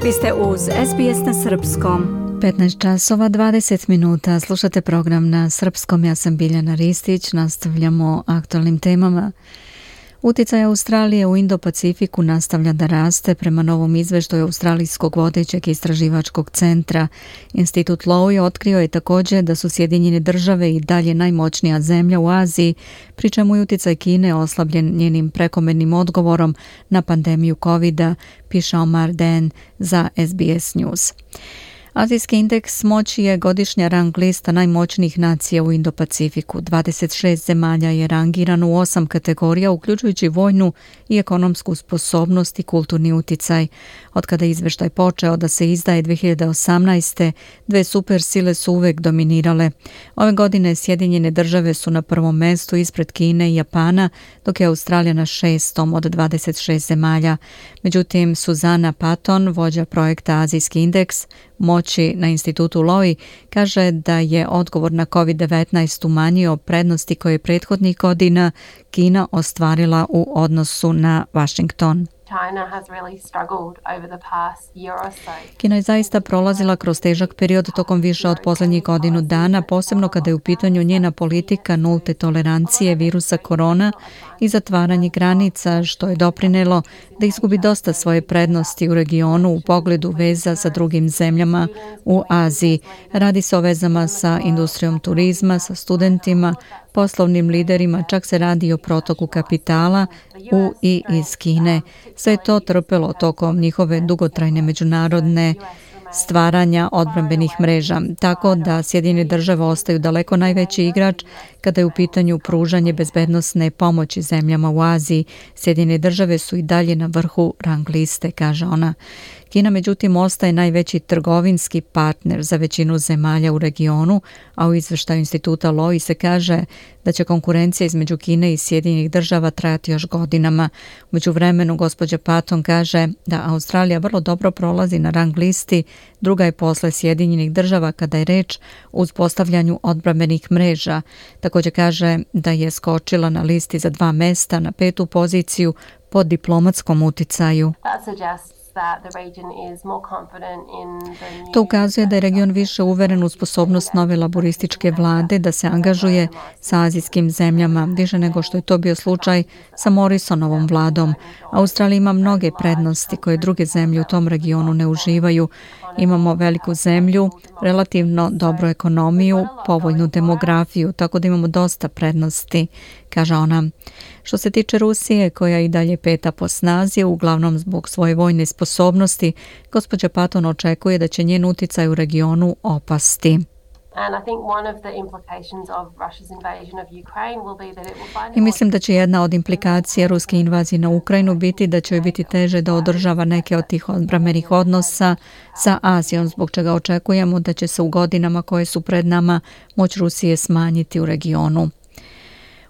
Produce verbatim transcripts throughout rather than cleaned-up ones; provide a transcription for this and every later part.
Vi ste uz S B S na srpskom. petnaest časova dvadeset minuta. Slušate program na srpskom. Ja sam Biljana Ristić. Nastavljamo aktualnim temama. Uticaj Australije u Indo-Pacifiku nastavlja da raste prema novom izveštaju australijskog vodećeg istraživačkog centra. Institut Lowy otkrio je također da su Sjedinjene države i dalje najmoćnija zemlja u Aziji, pri čemu je uticaj Kine oslabljen njenim prekomernim odgovorom na pandemiju kovida, piše Omar Den za S B S News. Azijski indeks moći je godišnja rang lista najmoćnijih nacija u Indo-Pacifiku. dvadeset šest zemalja je rangirano u osam kategorija, uključujući vojnu i ekonomsku sposobnost i kulturni uticaj. Od kada je izveštaj počeo da se izdaje dvije hiljade osamnaeste. dve supersile su uvek dominirale. Ove godine Sjedinjene države su na prvom mestu ispred Kine i Japana, dok je Australija na šestom od dvadeset šest zemalja. Međutim, Suzana Patton, vođa projekta Azijski indeks moći na institutu Lowy, kaže da je odgovor na kovid devetnaest umanjio prednosti koje je prethodnih godina Kina ostvarila u odnosu na Washington. Kina je zaista prolazila kroz težak period tokom više od posljednjih godinu dana, posebno kada je u pitanju njena politika nulte tolerancije virusa korona i zatvaranje granica, što je doprinelo da izgubi dosta svoje prednosti u regionu u pogledu veza sa drugim zemljama u Aziji. Radi se o vezama sa industrijom turizma, sa studentima, poslovnim liderima, čak se radi o protoku kapitala u i iz Kine. Sve je to trpelo tokom njihove dugotrajne međunarodne stvaranja odbrambenih mreža, tako da Sjedinjene države ostaju daleko najveći igrač kada je u pitanju pružanje bezbednosne pomoći zemljama u Aziji. Sjedinjene države su i dalje na vrhu rang liste, kaže ona. Kina međutim ostaje najveći trgovinski partner za većinu zemalja u regionu, a u izveštaju instituta Lowy se kaže da će konkurencija između Kine i Sjedinjenih država trajati još godinama. U međuvremenu gospođa Patton kaže da Australija vrlo dobro prolazi na rang listi, druga je posle Sjedinjenih država kada je reč o uspostavljanju odbrambenih mreža. Također kaže da je skočila na listi za dva mesta na petu poziciju po diplomatskom uticaju. To ukazuje da je region više uveren u sposobnost nove laborističke vlade da se angažuje sa azijskim zemljama, više nego što je to bio slučaj sa Morrisonovom vladom. Australija ima mnoge prednosti koje druge zemlje u tom regionu ne uživaju. Imamo veliku zemlju, relativno dobru ekonomiju, povoljnu demografiju, tako da imamo dosta prednosti, kaže ona. Što se tiče Rusije, koja i dalje peta po snazi, uglavnom zbog svoje vojne sposobnosti, gospođa Patton očekuje da će njen uticaj u regionu opasti. I mislim da će jedna od implikacija ruske invazije na Ukrajinu biti da će joj biti teže da održava neke od tih odbrambenih odnosa sa Azijom, zbog čega očekujemo da će se u godinama koje su pred nama moć Rusije smanjiti u regionu.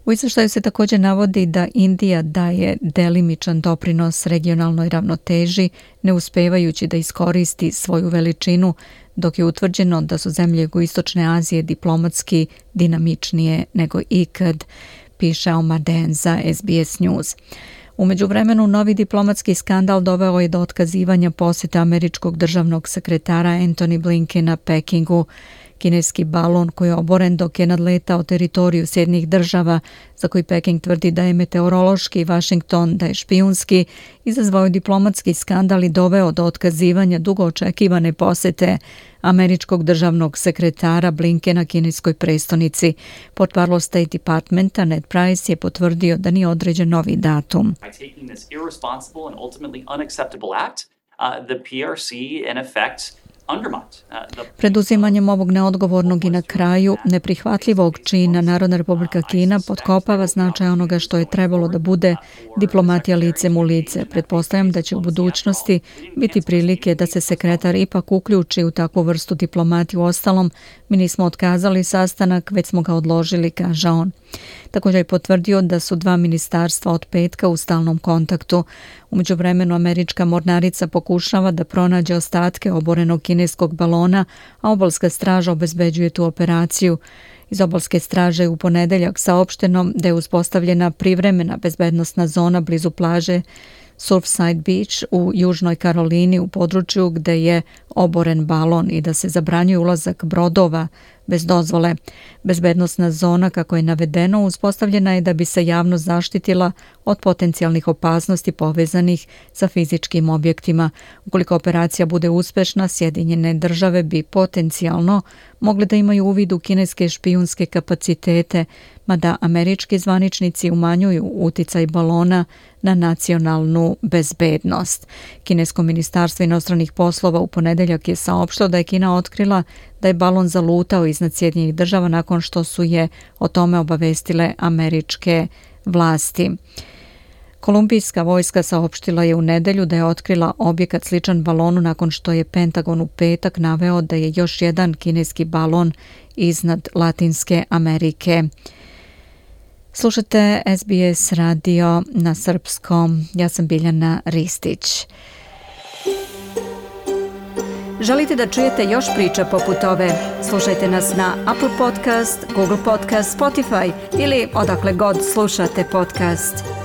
U izveštaju se također navodi da Indija daje delimičan doprinos regionalnoj ravnoteži, ne uspevajući da iskoristi svoju veličinu, dok je utvrđeno da su zemlje jugoistočne Azije diplomatski dinamičnije nego ikad, piše Omar Den za S B S News. U međuvremenu, novi diplomatski skandal doveo je do otkazivanja posjeta američkog državnog sekretara Antony Blinkena Pekingu. Kineski balon koji je oboren dok je nadletao teritoriju Sjedinjenih država, za koji Peking tvrdi da je meteorološki, Washington da je špijunski, izazvao je diplomatski skandal i doveo do otkazivanja dugo očekivane posete američkog državnog sekretara Blinkena kineskoj prestonici. Portparol State Departmenta Ned Price je potvrdio da nije određen novi datum. Preduzimanjem ovog neodgovornog i na kraju neprihvatljivog čina Narodna Republika Kina potkopava značaj onoga što je trebalo da bude diplomatija licem u lice. Pretpostavljam da će u budućnosti biti prilike da se sekretar ipak uključi u takvu vrstu diplomatije. U ostalom, mi nismo otkazali sastanak, već smo ga odložili, kaže on. Također je potvrdio da su dva ministarstva od petka u stalnom kontaktu. U međuvremenu američka mornarica pokušava da pronađe ostatke oborenog kineskog balona, a obalska straža obezbeđuje tu operaciju. Iz obalske straže je u ponedeljak saopšteno da je uspostavljena privremena bezbednosna zona blizu plaže Surfside Beach u Južnoj Karolini u području gde je oboren balon i da se zabranjuje ulazak brodova bez dozvole. Bezbednosna zona, kako je navedeno, uspostavljena je da bi se javnost zaštitila od potencijalnih opasnosti povezanih sa fizičkim objektima. Ukoliko operacija bude uspešna, Sjedinjene države bi potencijalno mogle da imaju uvid u kineske špijunske kapacitete, mada američki zvaničnici umanjuju uticaj balona na nacionalnu bezbednost. Kinesko ministarstvo inostranih poslova u ponedeljak je saopštilo da je Kina otkrila da je balon zalutao iznad Sjedinjenih država nakon što su je o tome obavestile američke vlasti. Kolumbijska vojska saopštila je u nedelju da je otkrila objekat sličan balonu nakon što je Pentagon u petak naveo da je još jedan kineski balon iznad Latinske Amerike. Slušate S B S radio na srpskom. Ja sam Biljana Ristić. Želite da čujete još priča poput ove? Slušajte nas na Apple Podcast, Google Podcast, Spotify ili odakle god slušate podcast.